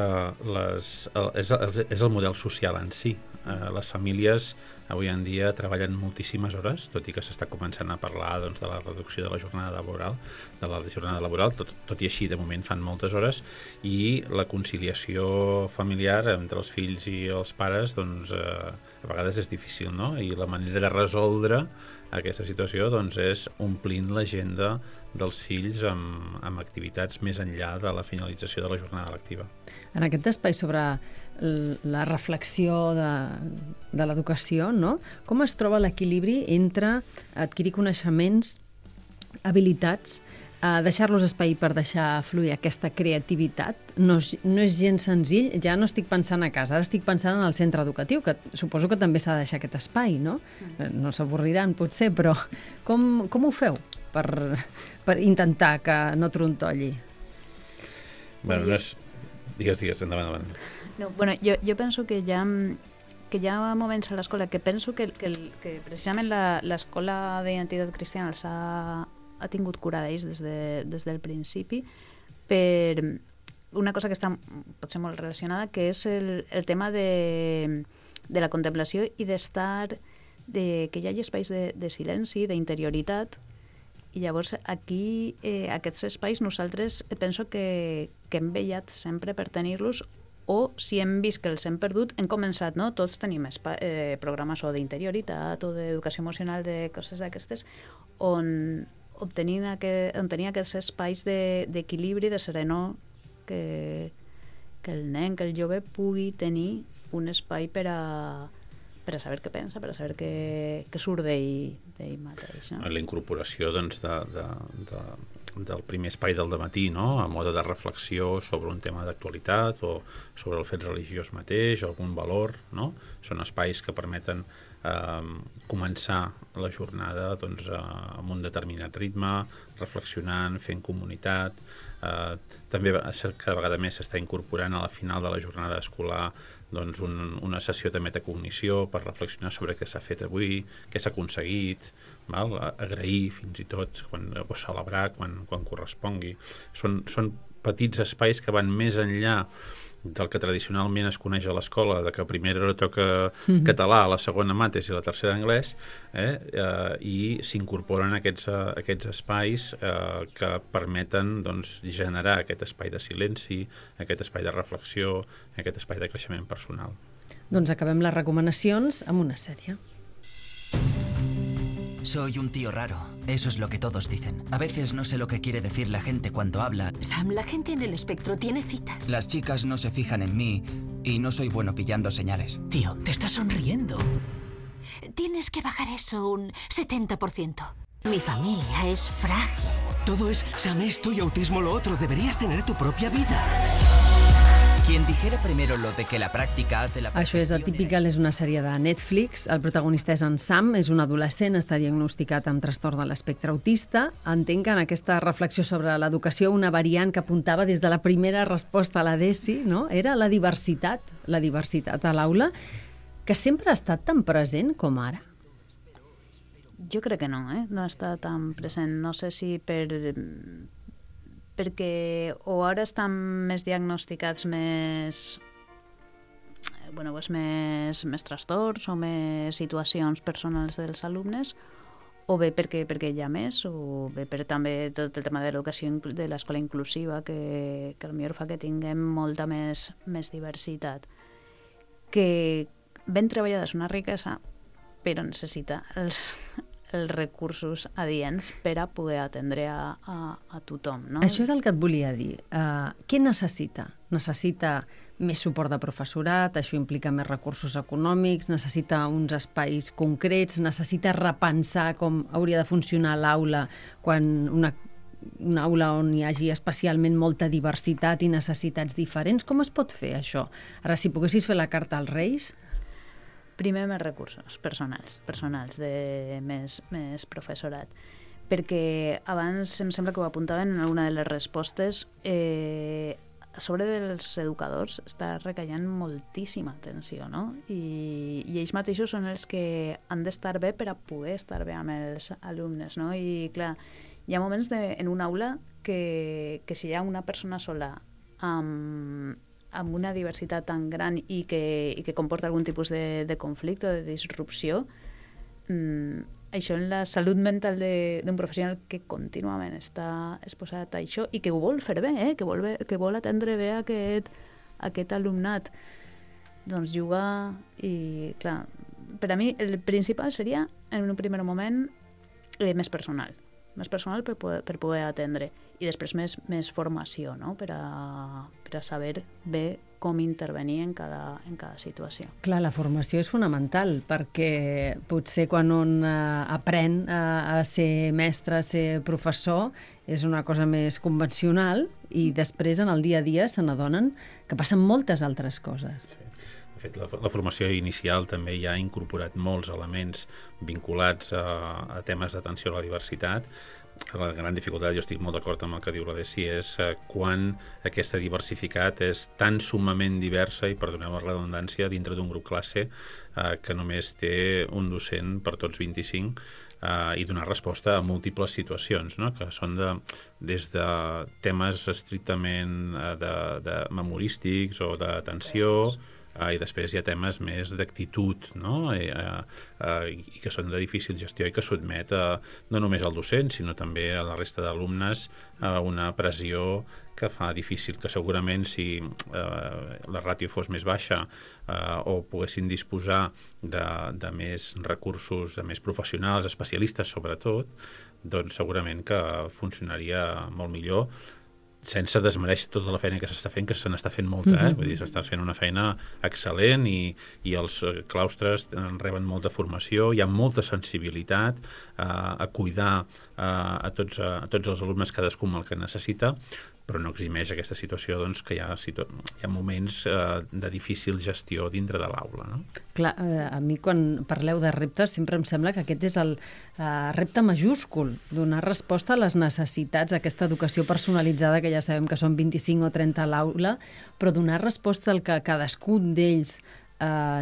és el model social en si. Les famílies avui en dia treballen moltíssimes hores, tot i que s'està començant a parlar, doncs, de la reducció de la jornada laboral, tot i així de moment fan moltes hores, i la conciliació familiar entre els fills i els pares, doncs, a vegades és difícil, no? I la manera de resoldre aquesta situació, doncs, és omplint l'agenda dels fills amb activitats més enllà de la finalització de la jornada lectiva. En aquest espai sobre la reflexió de l'educació, no? Com es troba l'equilibri entre adquirir coneixements, habilitats, deixar-los espai per deixar fluir aquesta creativitat? No és gens senzill, ja no estic pensant a casa, ara estic pensant en el centre educatiu, que suposo que també s'ha de deixar aquest espai, no? No s'avorriran, potser, però com ho feu per intentar que no trontolli? Bueno, no és... Digues, endavant. No, bueno, jo penso que hi ha moments a l'escola que penso que precisament l'escola d'identitat cristiana els ha tingut cura d'ells des del principi, per una cosa que està potser molt relacionada, que és el tema de la contemplació i que hi hagi espais de silenci, d'interioritat. I llavors aquí, aquests espais, nosaltres penso que hem vetllat sempre per tenir-los, o si hem vist que els hem perdut, hem començat, no? Tots tenim programes o d'interioritat o d'educació emocional, de coses d'aquestes, on tenir aquests espais d'equilibri, de serenor, que el nen, que el jove pugui tenir un espai per a saber què pensa, per a saber què surt d'ell mateix. No? La incorporació, doncs, del primer espai del dematí, no? A mode de reflexió sobre un tema d'actualitat o sobre el fet religiós mateix, o algun valor, no? Són espais que permeten començar la jornada doncs, amb un determinat ritme, reflexionant, fent comunitat. També cada vegada més s'està incorporant a la final de la jornada escolar doncs, una sessió de metacognició per reflexionar sobre què s'ha fet avui, què s'ha aconseguit, agrair fins i tot, o celebrar quan correspongui. Són petits espais que van més enllà del que tradicionalment es coneix a l'escola, de que a primera toca català, a la segona mates i a la tercera anglès, i s'incorporen aquests espais que permeten doncs, generar aquest espai de silenci, aquest espai de reflexió, aquest espai de creixement personal. Doncs acabem les recomanacions amb una sèrie. Soy un tío raro, eso es lo que todos dicen. A veces no sé lo que quiere decir la gente cuando habla. Sam, la gente en el espectro tiene citas. Las chicas no se fijan en mí y no soy bueno pillando señales. Tío, te estás sonriendo. Tienes que bajar eso un 70%. Mi familia es frágil. Todo es Sam esto y autismo lo otro. Deberías tener tu propia vida. Quien dijera primero lo de que la pràctica hace la... Això és Atypical, és una sèrie de Netflix. El protagonista és en Sam, és un adolescent, està diagnosticat amb trastorn de l'espectre autista. Entenc que en aquesta reflexió sobre l'educació una variant que apuntava des de la primera resposta a la DESI, no? Era la diversitat a l'aula, que sempre ha estat tan present com ara. Jo crec que no, no està tan present. No sé si perquè o ara estan més diagnosticats més trastorns o més situacions personals dels alumnes, o bé perquè hi ha més, o bé per també tot el tema de l'educació de l'escola inclusiva, que potser fa que tinguem molta més diversitat. Que ben treballada és una riquesa, però necessita els recursos adients per a poder atendre a tothom. No? Això és el que et volia dir. Què necessita? Necessita més suport de professorat, això implica més recursos econòmics, necessita uns espais concrets, necessita repensar com hauria de funcionar l'aula quan una aula on hi hagi especialment molta diversitat i necessitats diferents. Com es pot fer això? Ara, si poguessis fer la carta als Reis... Primer, més recursos personals de més professorat. Perquè abans em sembla que ho apuntaven en alguna de les respostes, a sobre dels educadors està recaient moltíssima atenció, no? I ells mateixos són els que han d'estar bé per a poder estar bé amb els alumnes, no? I clar, hi ha moments en una aula que si hi ha una persona sola amb una diversitat tan gran i que comporta algun tipus de conflicte o de disrupció, això en la salut mental d'un professional que contínuament està exposat a això i que ho vol fer bé, que vol atendre bé aquest alumnat, doncs jugar. I clar, per a mi el principal seria en un primer moment més personal per poder atendre, i després més formació, no? per a saber bé com intervenir en cada situació. Clar, la formació és fonamental, perquè potser quan un aprèn a ser mestre, a ser professor, és una cosa més convencional, i després en el dia a dia se n'adonen que passen moltes altres coses. Sí. De fet, la formació inicial també ja ha incorporat molts elements vinculats a temes d'atenció a la diversitat. La gran dificultat, jo estic molt d'acord amb el que diu la DESI, és quan aquesta diversitat és tan summament diversa, i perdoneu la redundància, dintre d'un grup classe que només té un docent per tots 25, i donar resposta a múltiples situacions, no? Que són des de temes estrictament de memorístics o d'atenció, i després hi ha temes més d'actitud, no? I que són de difícil gestió i que sotmet no només al docent, sinó també a la resta d'alumnes a una pressió que fa difícil, que segurament si la ràtio fos més baixa o poguessin disposar de més recursos, de més professionals, especialistes sobretot, doncs segurament que funcionaria molt millor, sense desmereixer tota la feina que s'està fent, que se n'està fent molta, vull dir, s'està fent una feina excel·lent i els claustres reben molta formació, hi ha molta sensibilitat a cuidar a tots els alumnes, cadascú amb el que necessita, però no eximeix aquesta situació doncs, que hi ha moments de difícil gestió dintre de l'aula. No? Clar, a mi quan parleu de reptes sempre em sembla que aquest és el repte majúscul, donar resposta a les necessitats d'aquesta educació personalitzada, que ja sabem que són 25 o 30 a l'aula, però donar resposta al que cadascun d'ells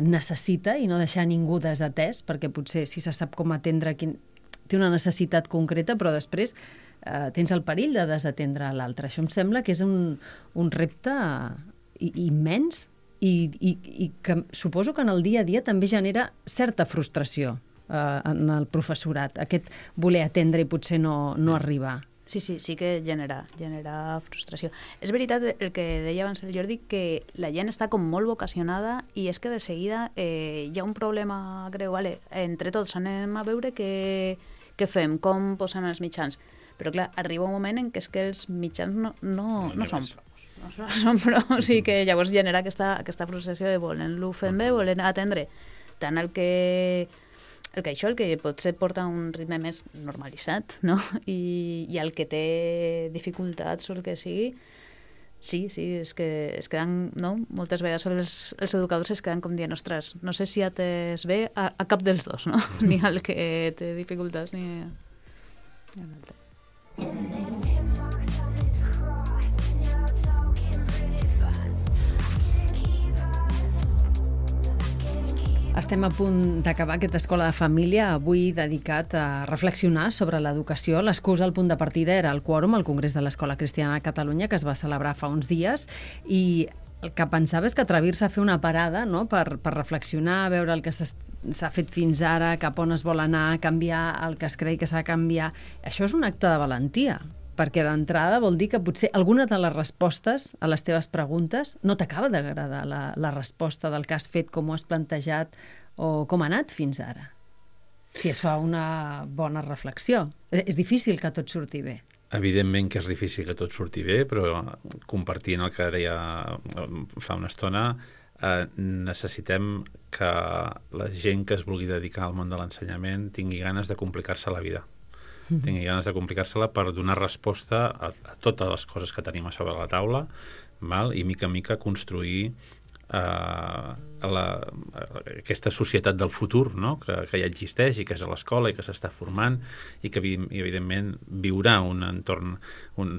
necessita i no deixar ningú desatès, perquè potser si se sap com atendre té una necessitat concreta, però després tens el perill de desatendre l'altre. Això em sembla que és un repte immens i que suposo que en el dia a dia també genera certa frustració en el professorat, aquest voler atendre i potser no arribar. Sí que genera frustració. És veritat el que deia abans el Jordi, que la gent està com molt vocacionada i és que de seguida hi ha un problema greu. Vale, entre tots anem a veure què fem, com posem els mitjans. Però clar, arriba un moment en què és que els mitjans no són prou. No són prou, o sigui que llavors genera aquesta frustració de volent-lo fer bé, volent atendre tant el que potser porta un ritme més normalitzat, no? I el que té dificultats o el que sigui, sí, es queden, no? Moltes vegades els educadors es queden com dient, ostres, no sé si atès bé a cap dels dos, no? Ni el que té dificultats ni l'altre. Estem a punt d'acabar aquesta escola de família, avui dedicat a reflexionar sobre l'educació. L'excusa, el punt de partida, era el quòrum al Congrés de l'Escola Cristiana de Catalunya, que es va celebrar fa uns dies, i el que pensava és que atrevir-se a fer una parada, no?, per reflexionar, veure el que s'ha fet fins ara, cap on es vol anar, canviar el que es creu que s'ha de canviar. Això és un acte de valentia, perquè d'entrada vol dir que potser alguna de les respostes a les teves preguntes no t'acaba d'agradar la resposta del que has fet, com ho has plantejat o com ha anat fins ara. Si es fa una bona reflexió. És difícil que tot surti bé. Evidentment que és difícil que tot surti bé, però compartint el que deia fa una estona, necessitem que la gent que es vulgui dedicar al món de l'ensenyament tingui ganes de complicar-se la vida. Tingui ganes de complicar-se-la per donar resposta a totes les coses que tenim a sobre la taula, i mica en mica construir aquesta societat del futur, no? que ja existeix i que és a l'escola i que s'està formant i que evidentment viurà un entorn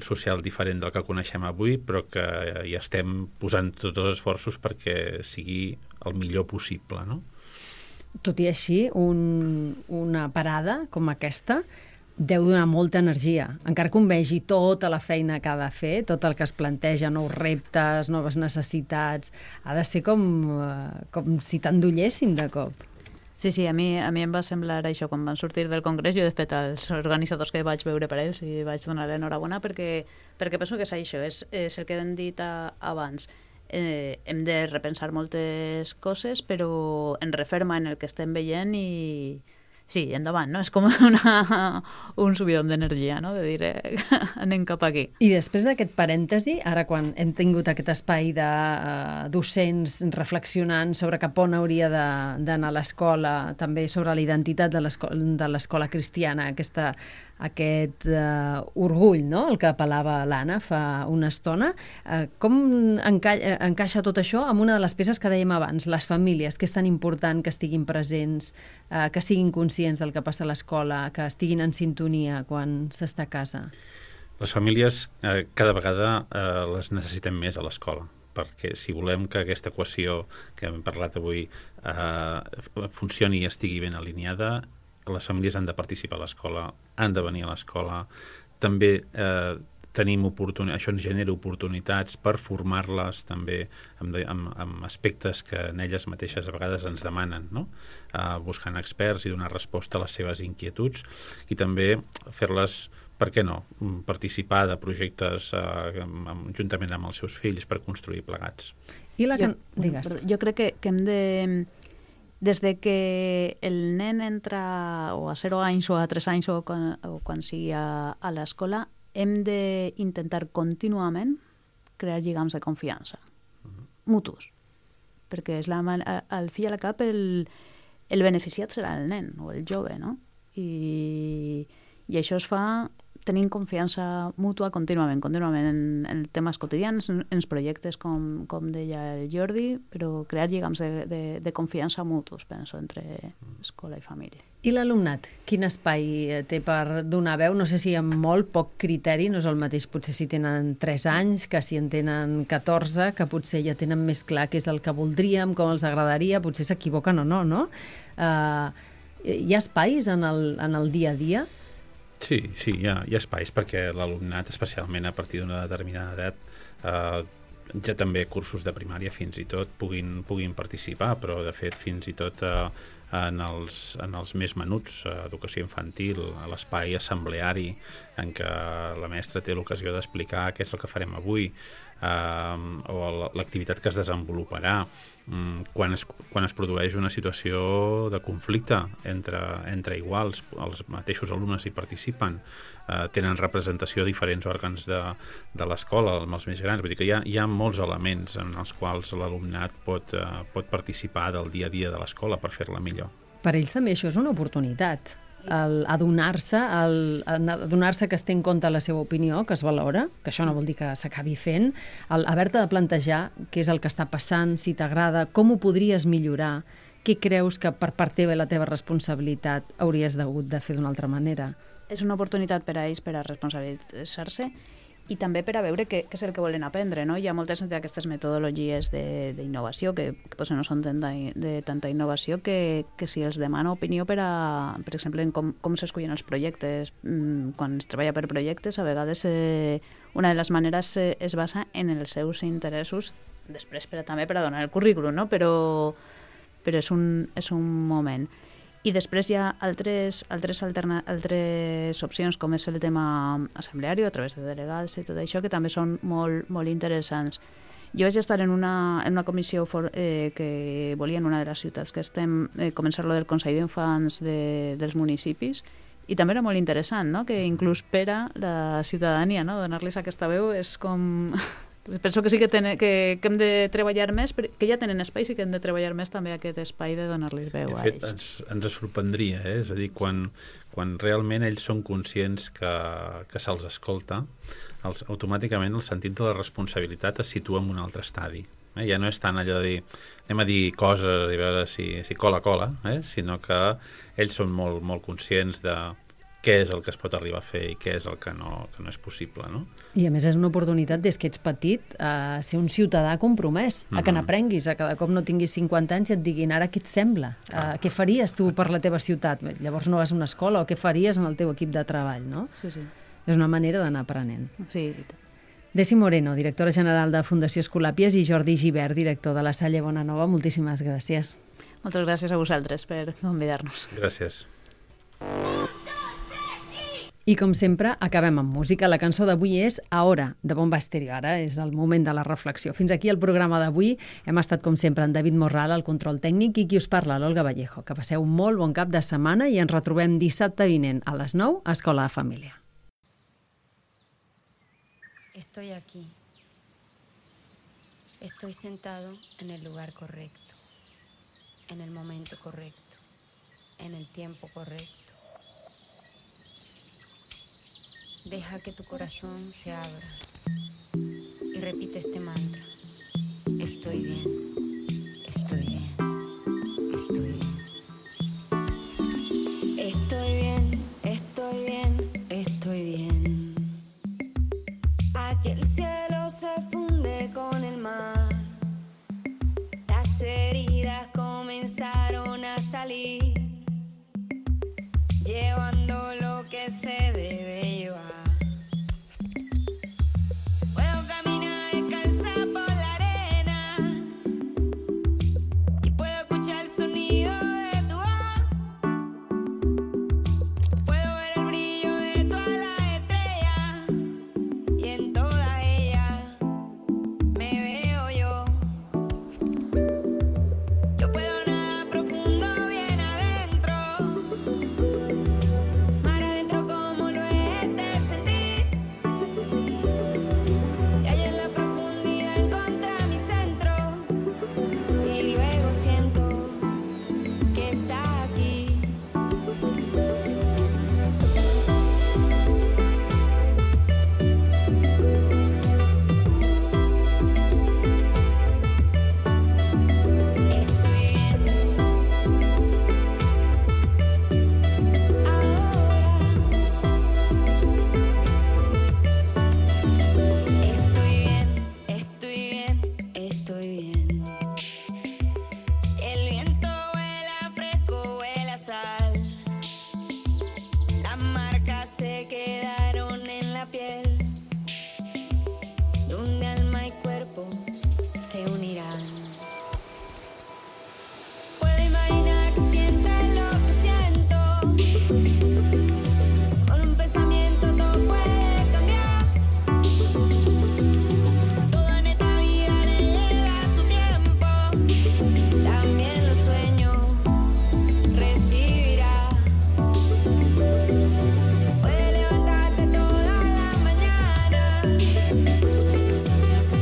social diferent del que coneixem avui, però que hi estem posant tots els esforços perquè sigui el millor possible. No? Tot i així, una parada com aquesta deu donar molta energia, encara que un vegi tota la feina que ha de fer, tot el que es planteja, nous reptes, noves necessitats, ha de ser com si t'endollessin de cop. Sí, a mi em va semblar això, quan van sortir del congrés, jo de fet als organitzadors que vaig veure per ells i vaig donar l'enhorabona perquè penso que és això, és el que hem dit abans. Hem de repensar moltes coses, però en referma en el que estem veient i sí, endavant, no? És com un subidon d'energia, no? De dir, anem cap aquí. I després d'aquest parèntesi, ara quan hem tingut aquest espai de docents reflexionant sobre cap on hauria d'anar l'escola, també sobre la identitat de l'escola cristiana, aquest orgull, no?, el que apel·lava l'Anna fa una estona. Com encaixa tot això amb una de les peces que dèiem abans, les famílies, que és tan important que estiguin presents, que siguin conscients del que passa a l'escola, que estiguin en sintonia quan s'està a casa? Les famílies cada vegada les necessitem més a l'escola, perquè si volem que aquesta equació que hem parlat avui funcioni i estigui ben alineada, les famílies han de participar a l'escola, han de venir a l'escola, també tenim això ens genera oportunitats per formar-les també amb aspectes que en elles mateixes a vegades ens demanen, no? Buscant experts i donar resposta a les seves inquietuds i també fer-les, per què no, participar de projectes juntament amb els seus fills per construir plegats. Jo crec que hem de... Des de que el nen entra o a 0 anys o a 3 anys o quan sigui a l'escola, hem d'intentar contínuament crear lligams de confiança mutus, perquè és al fi i al cap el beneficiat serà el nen o el jove, no? I això es fa tenim confiança mútua contínuament en temes quotidians, en els projectes, com deia el Jordi, però crear lligams de confiança mutus, penso, entre escola i família. I l'alumnat? Quin espai té per donar veu? No sé si amb molt poc criteri, no és el mateix potser si tenen 3 anys, que si en tenen 14, que potser ja tenen més clar què és el que voldríem, com els agradaria, potser s'equivoquen o no, no? Hi ha espais en el dia a dia? Sí, hi ha espais perquè l'alumnat, especialment a partir d'una determinada edat, ja també cursos de primària fins i tot puguin participar, però de fet fins i tot en els més menuts, educació infantil, a l'espai assembleari en què la mestra té l'ocasió d'explicar què és el que farem avui, o l'activitat que es desenvoluparà quan es produeix una situació de conflicte entre iguals, els mateixos alumnes hi participen, tenen representació a diferents òrgans de l'escola, amb els més grans, vull dir que hi ha molts elements en els quals l'alumnat pot participar del dia a dia de l'escola per fer-la millor. Per ells també això és una oportunitat, adonar-se que es té en compte la seva opinió, que es valora, que això no vol dir que s'acabi fent, haver-te de plantejar què és el que està passant, si t'agrada, com ho podries millorar, què creus que per part teva i la teva responsabilitat hauries hagut de fer d'una altra manera. És una oportunitat per a ells per a responsabilitzar-se i també per a veure què és el que volen aprendre, no? Hi ha moltes d'aquestes metodologies d'innovació que potser no són de tanta innovació que si els demana opinió per exemple, en com s'escullen els projectes. Quan es treballa per projectes, a vegades una de les maneres es basa en els seus interessos, després també per a donar el currículum, no? Però és un moment. I després hi ha altres opcions, com és el tema assembleari a través de delegats i tot això, que també són molt, molt interessants. Jo vaig estar en una comissió que volia en una de les ciutats que estem començar-lo del Consell d'Infants dels municipis, i també era molt interessant, no? Que inclús per a la ciutadania, no? Donar-los aquesta veu és com... Penso que sí que hem de treballar més, que ja tenen espais i que hem de treballar més també aquest espai de donar-los veu a ells. De fet, ens sorprendria, és a dir, quan realment ells són conscients que se'ls escolta, automàticament el sentit de la responsabilitat es situa en un altre estadi. Ja no és tant allò de dir, anem a dir coses i veure si cola, sinó que ells són molt, molt conscients de què és el que es pot arribar a fer i què és el que no és possible, no? I a més és una oportunitat, des que ets petit, a ser un ciutadà compromès, a que n'aprenguis, a cada cop no tinguis 50 anys i et diguin ara què et sembla, què faries tu per la teva ciutat, llavors no vas a una escola, o què faries en el teu equip de treball, no? Sí. És una manera d'anar aprenent. Sí. Desi Moreno, directora general de Fundació Escolàpies, i Jordi Gibert, director de la Salle Bonanova, moltíssimes gràcies. Moltes gràcies a vosaltres per convidar-nos. Gràcies. I com sempre, acabem amb música. La cançó d'avui és Ahora, de Bomba Estéreo. Ara és el moment de la reflexió. Fins aquí el programa d'avui. Hem estat, com sempre, en David Morral, al control tècnic, i qui us parla, l'Olga Vallejo. Que passeu un molt bon cap de setmana i ens retrobem dissabte vinent a les 9 a Escola de Família. Estoy aquí. Estoy sentado en el lugar correcto, en el momento correcto, en el tiempo correcto. Deja que tu corazón se abra y repite este mantra. Estoy bien, estoy bien, estoy bien. Estoy bien, estoy bien, estoy bien. Aquí el cielo se funde con el mar. Las heridas comenzaron a salir, llevando lo que se debe llevar. que quedaron en la piel, donde alma y cuerpo se unirán. Puedo imaginar que sientes lo que siento, con un pensamiento todo puede cambiar. Todo en esta vida le llega a su tiempo, también los sueños recibirá. Puedes levantarte toda la mañana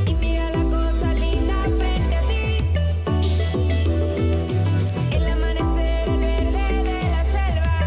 y mira la cosa linda frente a ti. El amanecer, el verde de la selva,